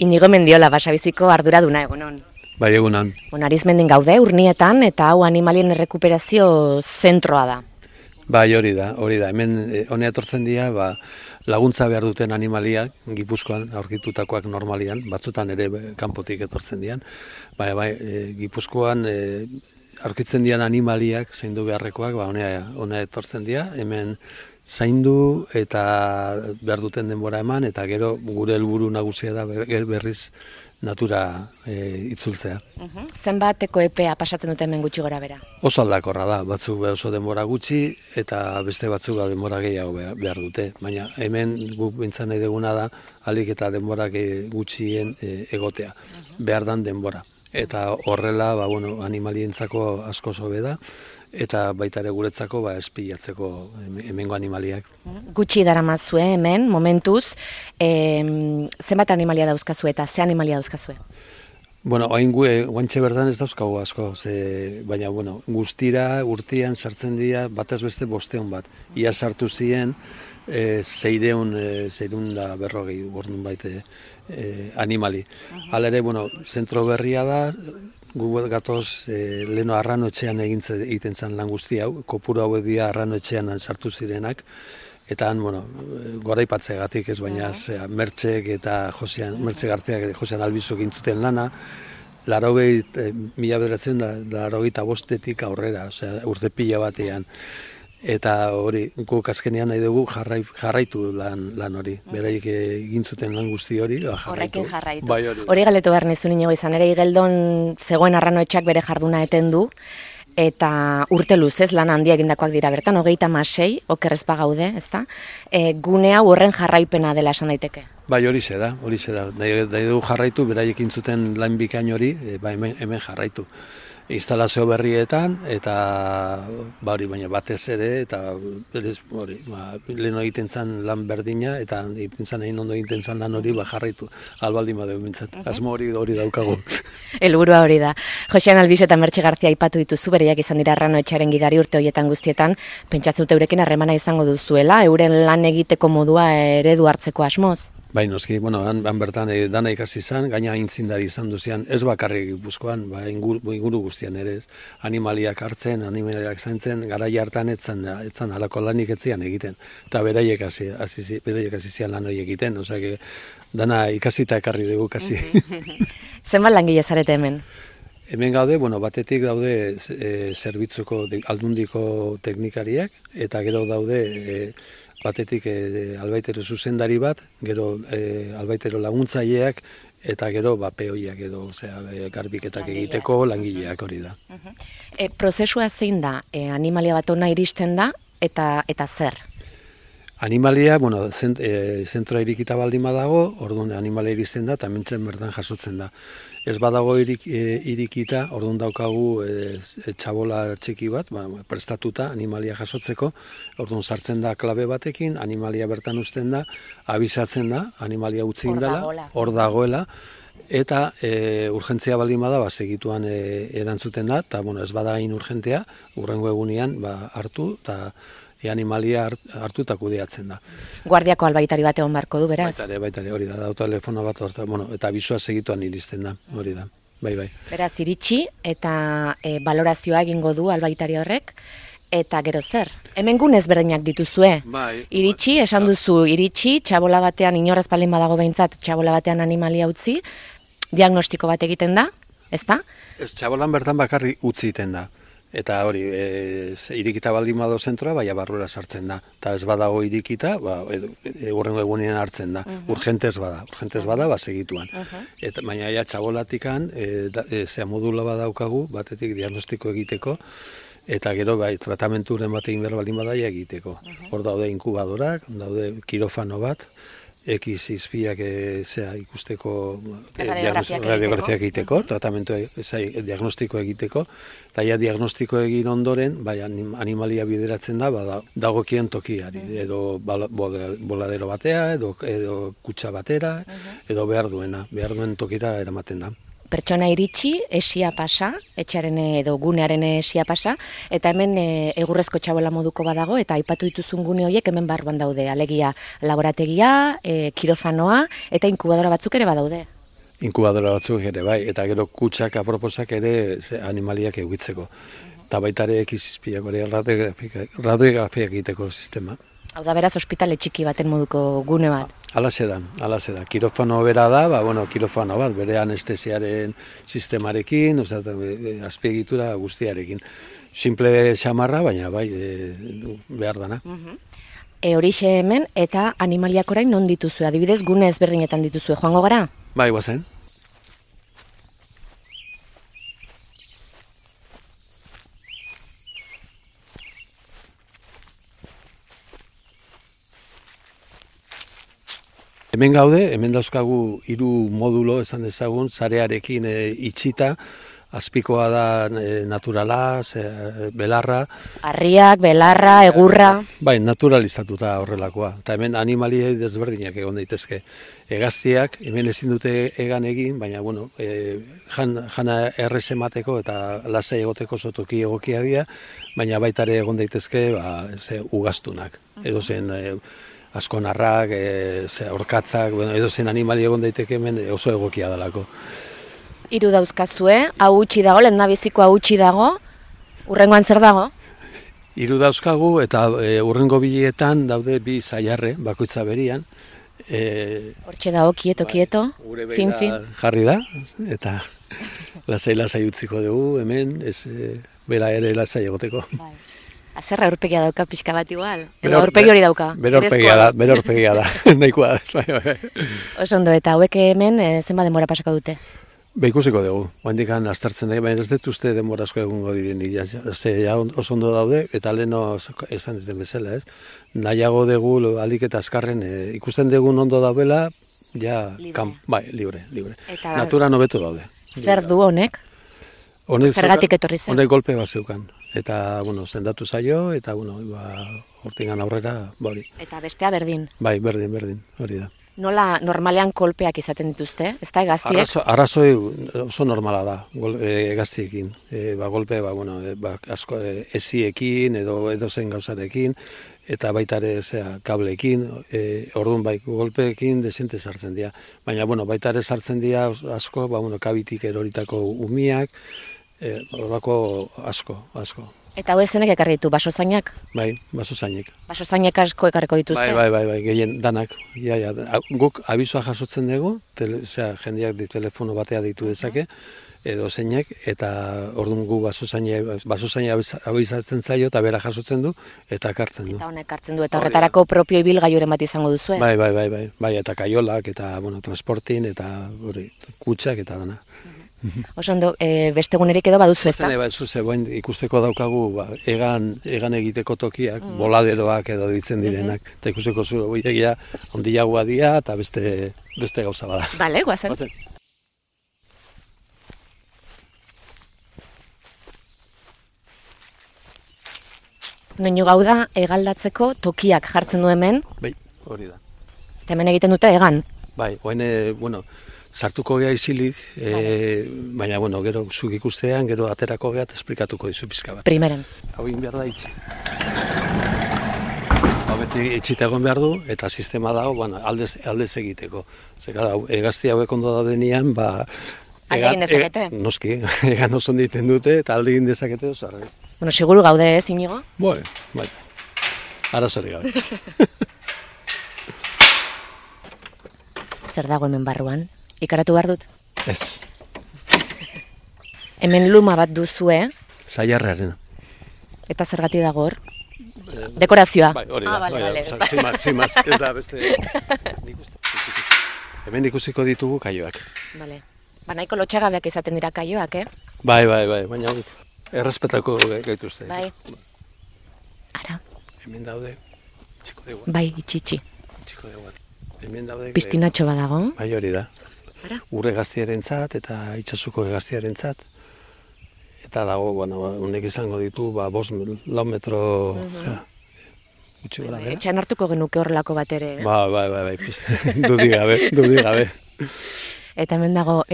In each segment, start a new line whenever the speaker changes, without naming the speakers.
Inigo Mendiola, Basabiziko arduraduna egunon.
Bai, egunon.
Arizmendin gaude, Urnietan, eta hau animalien errekuperazio zentroa da.
Bai, hori da. Hemen honea etortzen dira, laguntza behar duten animaliak, Gipuzkoan aurkitutakoak normalian, batzutan ere kanpotik etortzen dian. Bai, Gipuzkoan aurkitzen dian animaliak, zaindu beharrekoak, honea etortzen dira, hemen zaindu eta behar duten denbora eman, eta gero gure helburu nagusia da berriz natura itzultzea.
Zenbateko epea pasatzen dute hemen gutxi gora bera?
Oso aldakorra da, batzuk oso denbora gutxi eta beste batzuk denbora gehiago behar dute. Baina hemen guk bintzan nahi duguna da, alik eta denbora gutxien egotea, behar dan denbora. Eta horrela, animalientzako asko sobe da, eta baita ere guretzako espilatzeko hemengo animaliak.
Gutxi daramazue hemen, momentuz, zenbat animalia dauzkazue eta ze animalia dauzkazue?
Guantxe berdan ez dauzkagu asko, baina guztira urtean sartzen dira batez beste 500 bat. Ia sartu ziren 640 orduan baite animali. Hala ere, zentro berria da, gu gatoz leno arrano etxean egiten zen lan guzti hau, kopuru hauek dira arrano etxean sartu zirenak, eta han, goraipatzegatik ez, baina Mertxek eta Mertxe Garteak eta Josean Albizuk intzuten lana, 1985 aurrera, urte pila batean. Eta hori, guk azkenean nahi dugu jarraitu lan hori. Beraiek egin zuten lan guzti hori,
Horrekin jarraitu.
Bai,
hori galdetu behar nizun inigo izan ere, Igeldon zegoen arranoetxak bere jarduna eten du, eta urte luzez lan handia egindakoak dira bertan, 36, okerrezpa gaude, ezta? Gune hau horren jarraipena dela esan daiteke.
Bai, hori da. Nahi dugu jarraitu, beraiek egin zuten lan bikain hori, hemen jarraitu. Instalazio berrietan, eta baina batez ere, eta lehen egiten zen lan berdina, eta egiten zen egin ondo egiten zen lan hori jarraitu, albaldin badeu bintzat. Asmo hori daukagu.
Helburua hori da. Josean Albizu eta Mertxe Gartzia aipatu dituzu, bereiak izan dira arranoetxaren gidari urte horietan guztietan, pentsatzen dut eurekin harremana izango duzuela, euren lan egiteko modua eredu hartzeko asmoz?
Bai, noski, han bertan dana ikasi izan, gaina aintzindari izan duzian, ez bakarrik Gipuzkoan, inguru guztian ere ez. Animaliak hartzen, animaliak zaintzen, garai hartan etzan halako lanik etzian egiten. Eta beraiek hasi zian lan hori egiten, osea, dana ikasita ekarri dugu kasi.
Zenbat langile zarete hemen?
Hemen gaude, batetik daude zerbitzuko aldundiko teknikariak, eta gero daude batetik albaitero zuzendari bat, gero albaitero laguntzaileak, eta gero peoiak edo, garbiketak egiteko langileak hori da.
Prozesua zein da? Animalia bat ona iristen da, eta zer?
Animalia, zentroa irikita baldin badago, orduan animalia iristen da, eta mentzen bertan jasotzen da. Ez badago irikita, orduan daukagu txabola txiki bat, prestatuta animalia jasotzeko, orduan sartzen da klabe batekin, animalia bertan uzten da, abisatzen da, animalia utzi indala, hor dagoela, eta urgentzia baldin bada, segituan erantzuten da, eta ez bada hain urgentea, urrengo egunean hartu, eta animalia hartu eta kudeatzen da.
Guardiako albaitari bat egon barko du, beraz?
Baitare, hori da, telefono bat, eta bizua segituan iristen da, hori da, bai.
Beraz, iritsi eta balorazioa egingo du albaitari horrek, eta gero zer? Hemen gunez berdinak dituzue? Iritsi, esan duzu, txabola batean, inorraz palin badago behintzat, txabola batean animalia utzi, diagnostiko bat egiten da, ezta?
Ez, txabolan bertan bakarri utzi egiten da. Eta hori, irikita baldin bado zentroa, barrura sartzen da. Eta ez badago irikita, urrengo egunean hartzen da. Urgentez bada, segituan. Baina txabolatikan, modula badaukagu, batetik diagnostiko egiteko, eta gero tratamenturen bat egin behar baldin badaia egiteko. Hor daude inkubadorak, daude kirofano bat, X-izpiak ikusteko radiografiak egiteko, tratamentu diagnostiko egiteko, eta diagnostiko egin ondoren, animalia bideratzen da, dagokien tokiari, edo boladero batea, edo kutsa batera, edo behar duen tokira eramaten da.
pertsona iritsi, esia pasa, etxearen edo gunearen esia pasa, eta hemen egurrezko txabola moduko badago, eta aipatu dituzun gune horiek hemen barruan daude, alegia laborategia, kirofanoa, eta inkubadora batzuk ere badaude.
inkubadora batzuk ere bai, eta gero kutsak aproposak ere animaliak egitzeko. Eta baita ere ekizizpiak, radiografia egiteko sistema.
Hau da beraz, ospitale txiki baten moduko gune bat.
Alaxe da. Kirofano bera da, kirofano bat, bere anestesiaren sistemarekin, azpiegitura guztiarekin. Simple xamarra, baina bai, behar dana.
Horixe hemen, eta animaliak orain non dituzue? Adibidez, gune ezberdinetan dituzue. Joango gara?
Bai, guazen. Hemen gaude, hemen dauzkagu 3 modulo esan dezagun, zarearekin itxita, azpikoa da naturala, belarra.
Harriak, belarra, egurra.
Bai, naturalizatuta horrelakoa. Eta hemen animaliei desberdinak egon daitezke. Hegaztiak, hemen ezin dute egan egin, baina, jana errez emateko eta lasai egoteko toki egokia dira, baina baita ere egon daitezke, ugaztunak. Edo zen askonarrak, orkatzak, edo zen animali egon daiteke hemen oso egokia dalako.
3 dauzkazue, hau utzi dago, lehendabiziko hau utzi dago, urrengoan zer dago?
3 dauzkagu eta urrengo biletan daude 2 zaiarre, bakoitza berian.
Hortxe dago, kieto, fin.
Jarri da, eta lasai utziko dugu hemen, bera ere lasai egoteko.
Azerra aurpegia dauka pixka bat igual, edo aurpegi hori dauka.
Bere aurpegia da, nahikoa da.
Oso ondo, eta hauek hemen zenba denbora pasako dute?
Ikusiko dugu, handikan aztertzen dugu, baina ez dut uste denbora asko egungo direnik, oso ondo daude, eta leheno esan duten bezala, ez? Nahiago dugu, alik eta azkarren, ikusten dugu ondo daudela, libre. Naturan hobeto daude.
Zer du honek? Zergatik etorri zen?
Honek golpe bat zeukan. Eta, zendatu zaio, eta, hortingan aurrera, hori.
Eta bestea berdin?
Bai, berdin, hori da.
Nola normalean kolpeak izaten dituzte, ez da, egaztiek?
Arrazoi oso normala da, egaztiekin. Golpe, asko eziekin edo zen gauzarekin, eta baita ere kableekin, orduan golpeekin desente sartzen dira. Baina, baita ere sartzen dira asko, kabitik eroritako umiak, horrako asko.
Eta hau ezenek ekarri ditu, basozainak?
Bai, basozainek.
Basozainek asko ekarriko dituzte?
Bai, gehien danak. Guk abizua jasotzen dugu, jendeak telefono batea ditu dezake, edo zeinek, eta orduan gu basozaina abizatzen zaio, eta bera jasotzen du, eta ekartzen du.
Eta honek ekartzen du, eta horretarako propio ibilgailuren bat izango duzu,
Bai, eta kaiolak, eta transportin, eta kutsak, eta dana.
Oso ondo, beste egunerik edo baduzu, ez da?
Ikusteko daukagu egan egiteko tokiak, boladeroak edo ditzen direnak, eta ikusteko zu egia ondiagoa dira eta beste gauza bada.
Bale, guazen. Noinu gau da, egaldatzeko tokiak jartzen du hemen.
Bai, hori da.
Eta hemen egiten dute egan.
Bai, sartuko gea izilik, baina, gero zuk ikustean, gero aterako gea eta esplikatuko dizu pizka bat.
Primeren.
Hau egin behar da itxi. Hau beti itxita egon behar du, eta sistema dago, aldez egiteko. Zekara, egazti hauek ondo da denean,
alde egin dezakete?
Noski, egan oso egiten dute, eta alde egin dezakete oso arra.
Seguru gaude ez, Inigo?
Bai. Arazori gabe.
Zer dago hemen barruan? Ikaratu behar dut?
Ez.
Hemen luma bat duzue.
Zaiarrarena.
Eta zergati dago hor? Dekorazioa?
Bai, hori da. Zimaz, ez da, beste... Hemen ikusiko ditugu kaioak.
Bale. Nahiko lotxagabeak izaten dira kaioak,
Bai, baina errespetako gaituzte.
Bai. Ara.
Hemen daude, txiko dugu.
Bai, itxitxi.
Txiko dugu. Hemen daude...
Piztinatxo badago.
Bai, hori da. Ur hegaztiarentzat eta itxasuko hegaztiarentzat. Eta dago, honek izango ditu, 5-4 metro...
Etxan hartuko genuke horrelako bat ere.
Bai, dudi gabe.
Eta hemen dago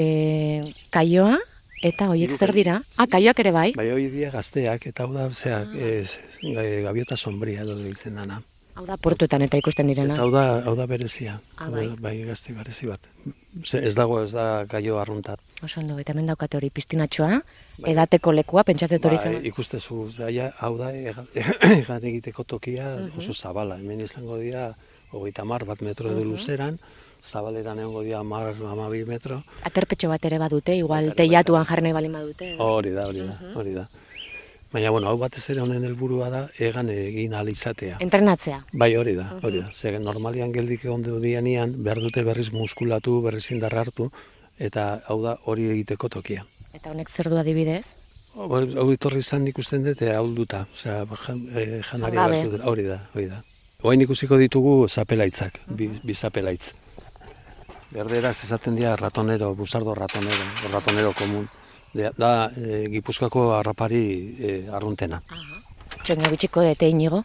kaioa, eta horiek zer dira? Kaioak ere bai?
Bai, hori dira gazteak, eta hau da, gaviota sombria edo ditzen dana.
Hau da portuetan eta ikusten direna.
Ez, hau da berezia. Bai, gazte berezi bat. Ez da gaio arruntat.
Oso ondo, eta hemen daukate hori piztinatxoa, edateko lekua, pentsatzet hori zen.
Ikustezu, hau da egan egiteko tokia oso zabala. Hemen izango dira 30 metro edo luzeran, zabaleran egongo dira 12 metro.
Aterpetxo bat ere badute, igual teiatuan jarri nahi balin badute.
Hori da. Baina, hau batez ere honen helburua da egan egin ahal izatea.
Entrenatzea.
Bai, hori da. Zer, normalian geldik egon dianean, behar dute berriz muskulatu, berriz indarra hartu, eta hau da hori egiteko tokia.
Eta honek zer du adibidez?
Hau itorri izan ikusten dut, ahulduta, janari batzut, hori da. Oain ikusiko ditugu zapelaitzak, bi zapelaitz. Berderaz esaten dira ratonero, busardo ratonero komun. Da Gipuzkoako harrapari arruntena.
Txoingo bitxiko dute inigo,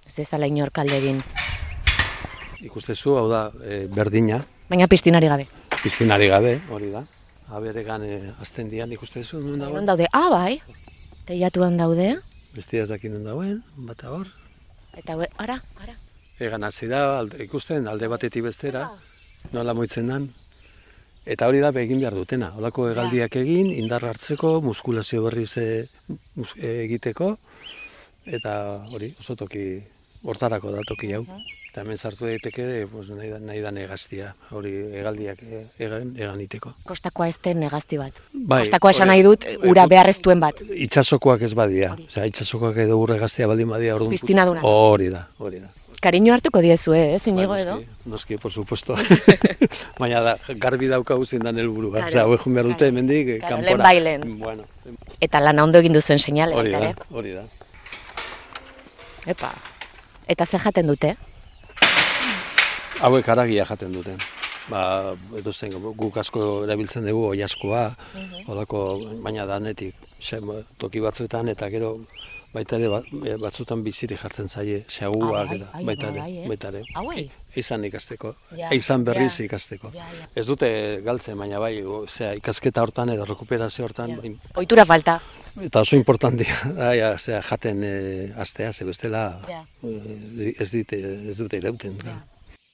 ez ezala inor kalde egin.
Ikustezu, hau da berdina.
Baina piztinari gabe.
Piztinari gabe, hori da. Aberegan azten dian ikustezu, nun dagoen?
Non daude, bai, teiatuan daude.
Bestia ez dakin nun dagoen, bata hor.
Eta ara.
Egan hasi da, ikusten, alde batetik bestera, nola moitzen dan. Eta hori da egin behar dutena. Holako hegaldiak egin, indar hartzeko, muskulazio berriz egiteko, eta hori, oso toki, hortarako da toki hau. Eta hemen sartu daiteke, nahi da negaztia, hori hegaldiak egan iteko.
Kostakoa ez den negazti bat. Kostakoa esan nahi dut, ura beharreztuen bat.
Itxasokoak ez badia. Itxasokoak edo ura egaztia baldin badia.
Piztinaduna.
Hori da.
Kariño hartuko diezu, Inigo edo?
Noski, por supuesto. Baina garbi daukagu zindan helburu. Hau egun behar dute hemendik kanpora.
Lehen bailen. Eta lana ondo egin duzuen seinale.
Hori da.
Epa. Eta ze jaten dute?
Hauek haragia jaten dute. Edo zen, guk asko erabiltzen dugu oiazkoa, baina danetik, toki batzuetan, eta gero baita ere batzutan bizirik jartzen zaie, xaguak, baita ere. Eizan ikasteko, eizan berriz ikasteko. Ez dute galtzen, baina bai, ikasketa hortan edo rekuperazio hortan.
Ohitura falta.
Eta oso importantia, jaten astea, ze bestela ez dute irauten.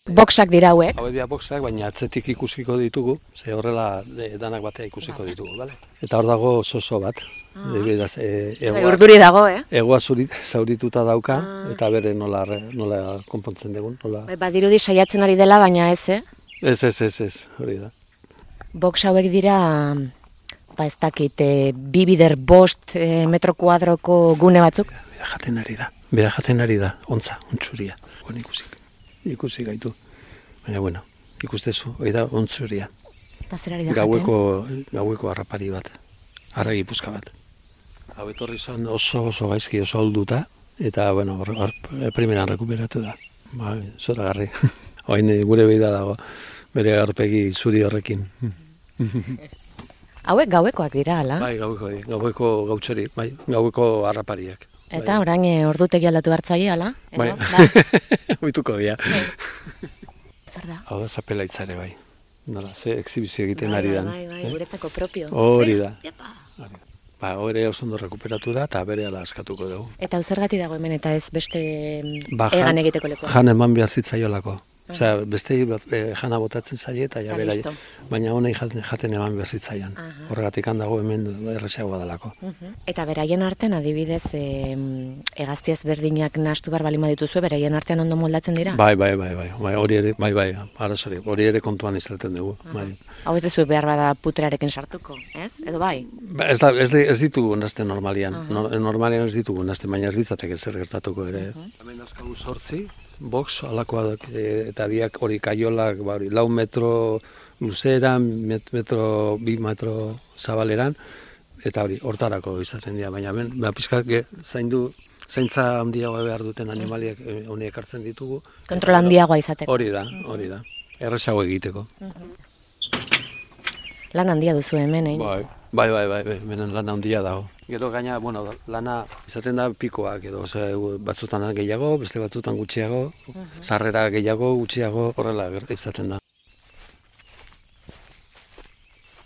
Boxak dira hauek.
Hauek dira boxak, baina atzetik ikusiko ditugu, ze horrela danak batea ikusiko ditugu, bale? Eta hor dago oso bat.
Urduri dago,
Egoa zaurituta dauka, eta bere nola konpontzen dugun.
Badirudi saiatzen ari dela, baina ez,
Ez, hori da.
Box hauek dira, ez dakit, 2 bider 5 metro kuadroko gune batzuk?
Bera jaten ari da, ontsuria. Ikusi gaitu. Baina, ikustezu, hori da ontzuria.
Eta zer ari da jaten?
Gaueko harrapari bat, harra Gipuzkoa bat. Hau etorri zen oso gaizki, oso ahulduta, eta, primeran rekuperatu da. Zoragarri. Oain gure beida dago, bere aurpegi zuri horrekin.
Hauek gauekoak dira, ala?
Bai, gaueko gautxori, gaueko harrapariak.
Eta orain ordutegi aldatu hartzaile, ala?
Bai, oituko dira.
Zer da?
Hau da zapelaitzare, bai. Nola, ze exhibizio egiten ari dan.
Bai, guretzako propio.
Hori da. Hori oso ondo rekuperatu da, eta bere ala askatuko dugu.
Eta zergatik dago hemen, eta ez beste egan egiteko lekoa?
Jan eman behar zitzaiolako. Osea, beste jana botatzen zaie eta bera, baina honei jaten eman behar zitzaian. Horregatik handago hemen erresagoa dalako.
Eta beraien artean, adibidez, hegaztiaz berdinak nahastu behar balima dituzue, beraien artean ondo moldatzen dira?
Bai, hori ere kontuan izaten dugu.
Hau ez duzu behar bada putrearekin sartuko, ez? Edo bai?
Ez ditugu nazten normalian. Normalian ez ditugu nazten, baina ez ditzatek zer gertatuko ere. Hemen azkagu 8 box, alakoak eta diak hori kaiolak, 4 metro luzeran, 2 metro zabaleran, eta hori hortarako izaten dira, baina pizkak zaintza handiagoa behar duten animaliak honiek hartzen ditugu.
Kontrol handiagoa izateko.
Hori da, erresago egiteko.
Lan handia duzu hemen,
Bai, hemen lan handia dago. Gero gaina, lana izaten da pikoak edo, batzutan gehiago, beste batzutan gutxiago, sarrera gehiago, gutxiago, horrela izaten da.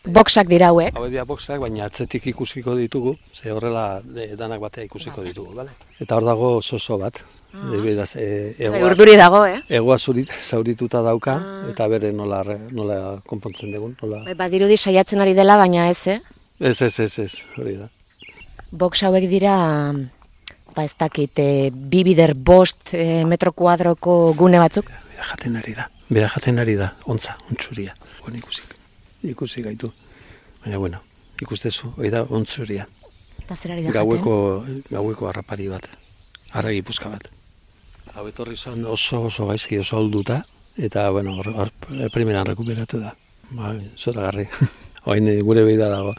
Boxak dira hauek.
Hauek dira boxak, baina atzetik ikusiko ditugu, ze horrela danak batea ikusiko ditugu, bale? Eta hor dago soso bat.
Urduri dago,
Egoa zaurituta dauka, eta bere nola konpontzen dugun.
Badirudi saiatzen ari dela, baina ez,
Ez, hori da.
Box hauek dira, ez dakit, 2 bider 5 metro kuadroko gune batzuk?
Bera jaten ari da, ontza, ontsuria. Ikusi gaitu. Baina, bueno, ikustezu, hori da, ontsuria.
Eta zer ari da jaten?
Gaueko harrapari bat, harragi puzka bat. Hau etorri zan oso gaizki, oso olduta, eta, bueno, primeran rekuperatu da. Zoragarri. Hain gure behi da dago,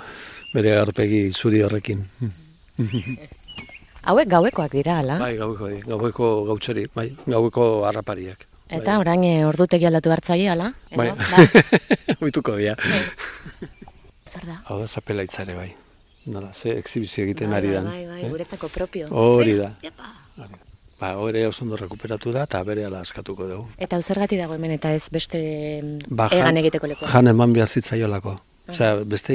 bere aurpegi zuri horrekin.
Hauek gauekoak dira, ala?
Bai, gaueko gautxori, bai, gaueko harrapariak.
Eta orain ordutegi aldatu hartzaile, ala?
Bai, oituko dira.
Zer da?
Hau da zapelaitzare, bai. Nola, ze exhibizio egiten ari dan.
Bai, guretzako propio.
Hori da. Hori oso ondo rekuperatu da, eta bere ala askatuko dugu.
Eta zergatik dago hemen, eta ez beste egan egiteko lekoa?
Jan eman behar zitzaiolako. Osea, beste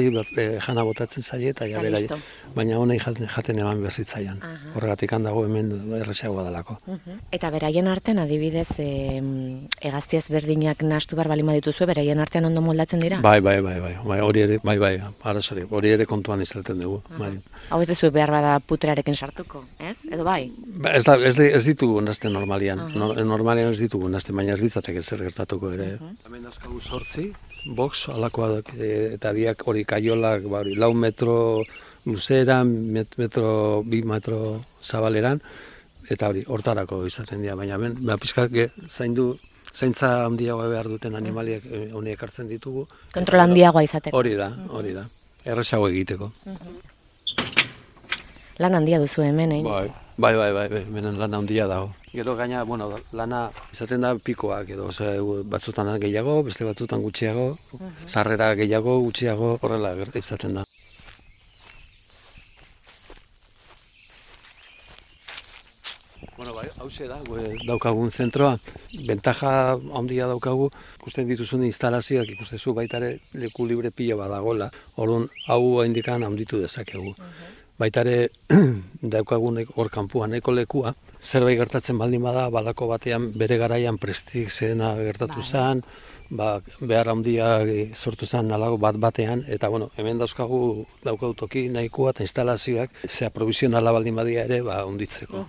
jana botatzen zaie eta bera, baina honei jaten eman behar zitzaian. Horregatik handago hemen erresagoa dalako.
Eta beraien artean, adibidez, hegazti ezberdinak nahastu behar balima dituzue, beraien artean ondo moldatzen dira?
Bai, hori ere kontuan izaten dugu.
Hau ez duzu behar bada putrarekin sartuko, ez? Edo bai?
Ez ditugu nazte normalian. Normalian ez ditugu nazte, baina ez ditzatek ezer gertatuko ere. Hemen dauzkagu 8 box alakoak eta biak hori kaiolak 4 metro luzeran, 2 metro zabaleran, eta hori hortarako izaten dira, baina pizkak zaintza handiagoa behar duten animaliak honiek hartzen ditugu.
Kontrol handiagoa izateko.
Hori da, erresago egiteko.
Lan handia duzu hemen,
Bai, hemen lan handia dago. Gero gaina, lana izaten da pikoak, edo batzutan gehiago, beste batzutan gutxiago, sarrera gehiago, gutxiago, horrela izaten da. Hauxe da, daukagun zentroa, bentaja handia daukagu, ikusten dituzun instalazioak ikustezu baitare leku libre pila badagola, orduan hau indikan handitu dezakegu. Baitare daukagun hor kanpuan eko lekua, zerbait gertatzen baldin bada, balako batean bere garaian prestik zena gertatu zen, behar handia sortu zen nalago batean, eta hemen daukagu toki nahikoa eta instalazioak, zea provisionala baldin badia ere, hunditzeko.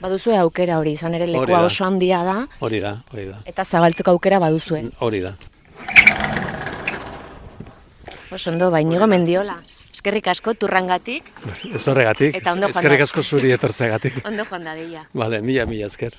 Baduzue aukera hori, izan ere lekua oso handia da.
Hori da.
Eta zabaltzeko aukera baduzue.
Hori da.
Oso ondo, Iñigo Mendiola. Eskerrik asko turrangatik.
Ez horregatik, eskerrik asko zuri etortzeagatik.
Ondo joan dadila.
Mila esker.